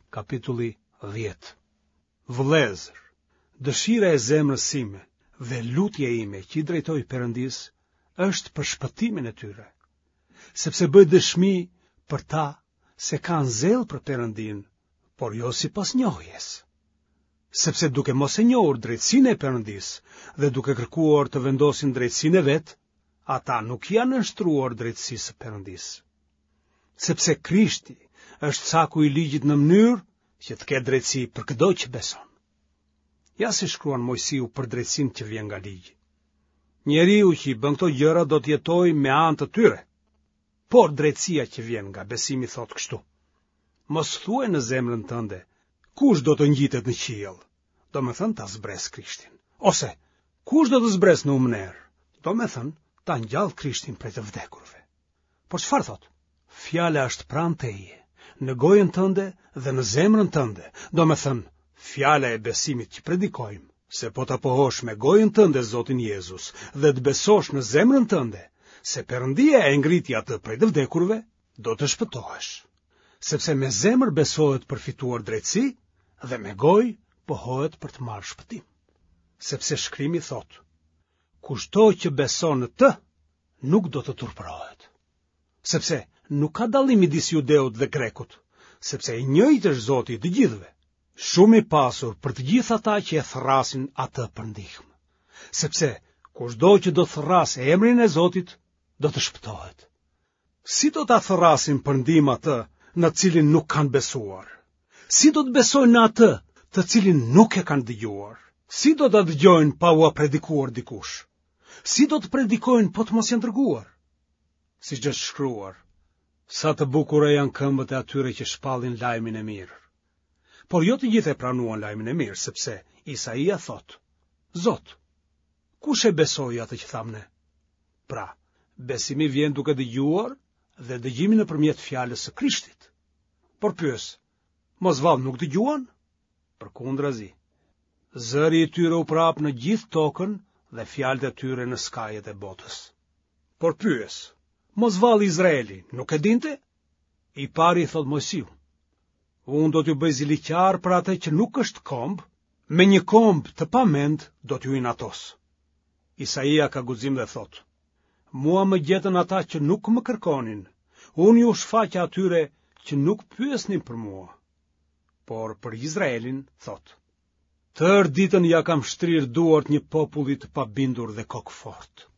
Kapitulli 10. Vëllezër, dëshira e zemrës sime dhe lutja ime që i drejtoj Perëndisë është për shpëtimin e tyre, sepse bëj dëshmi për ta se kanë zell për Perëndinë, por jo sipas njohjes. Sepse duke mos e njohur drejtësinë e Perëndisë dhe duke kërkuar të vendosin drejtësinë e vet, ata nuk i janë nënshtruar drejtësisë së Perëndisë. Sepse Krishti është caku i ligjit në mënyrë që të ketë drejtësi për këdo që beson. Ja si shkruan Moisiu për drejtësinë që vjen nga ligji. Njeriu që i bën këto gjëra do të jetojë me anë të tyre. Por drejtësia që vjen nga besimi thotë kështu. Mos thuaj në zemrën tënde, kush do të ngjitet në qiell, domethënë ta zbresë Krishtin. Ose, kush do të zbresë në humnerë, domethënë ta ngjallë Krishtin prej të vdekurve. Por çfarë thotë? Fjala është pranë teje, në gojën tënde dhe në zemrën tënde, domethënë, fjala e besimit që predikojmë, se po ta pohosh me gojën tënde Zotin Jezus dhe të besosh në zemrën tënde, se Perëndia e ngriti atë prej të vdekurve, do të shpëtohesh. Sepse me zemër besohet për fituar drejtësi dhe me gojë pohohet për të marrë shpëtim. Sepse shkrimi thotë, kushdo që beson në të, nuk do të turpërohet. Sepse nuk ka dallim midis judeut dhe grekut, sepse i njëjtë është Zoti i të gjithëve, shumë i pasur për të gjithë ata që e thërrasin atë për ndihmë. Sepse kushdo që do të thërrasë emrin e Zotit, do të shpëtohet. Si do ta thërrasin për ndihmë atë në të cilin nuk kanë besuar? Si do të besojnë në atë të cilin nuk e kanë dëgjuar? Si do ta dëgjojnë pa ua predikuar dikush? Si do të predikojnë po të mos jenë dërguar? Siç është shkruar, sa të bukura janë këmbët e atyre që shpallin lajmin e mirë. Por jo të gjithë e pranuan lajmin e mirë, sepse Isaia thotë, Zot, kush e besoi atë që thamë ne? Pra, besimi vjen duke dëgjuar dhe dëgjimi nëpërmjet fjalës së Krishtit. Por pyes, mos vallë nuk dëgjuan? Përkundrazi, zëri i tyre u përhap në gjithë tokën dhe fjalët e tyre në skajet e botës. Por pyes, mos vallë Izraeli nuk e dinte? I pari i thotë Moisiu, unë do t'ju bëj ziliqar për atë që nuk është komb, me një komb të pamend do t'ju inatos. Isaia ka guxim dhe thotë, mua më gjetën ata që nuk më kërkonin, unë iu shfaqa atyre që nuk pyesnin për mua. Por për Izraelin thotë, tërë ditën ia kam shtrirë duart një populli të pabindur dhe kokëfortë.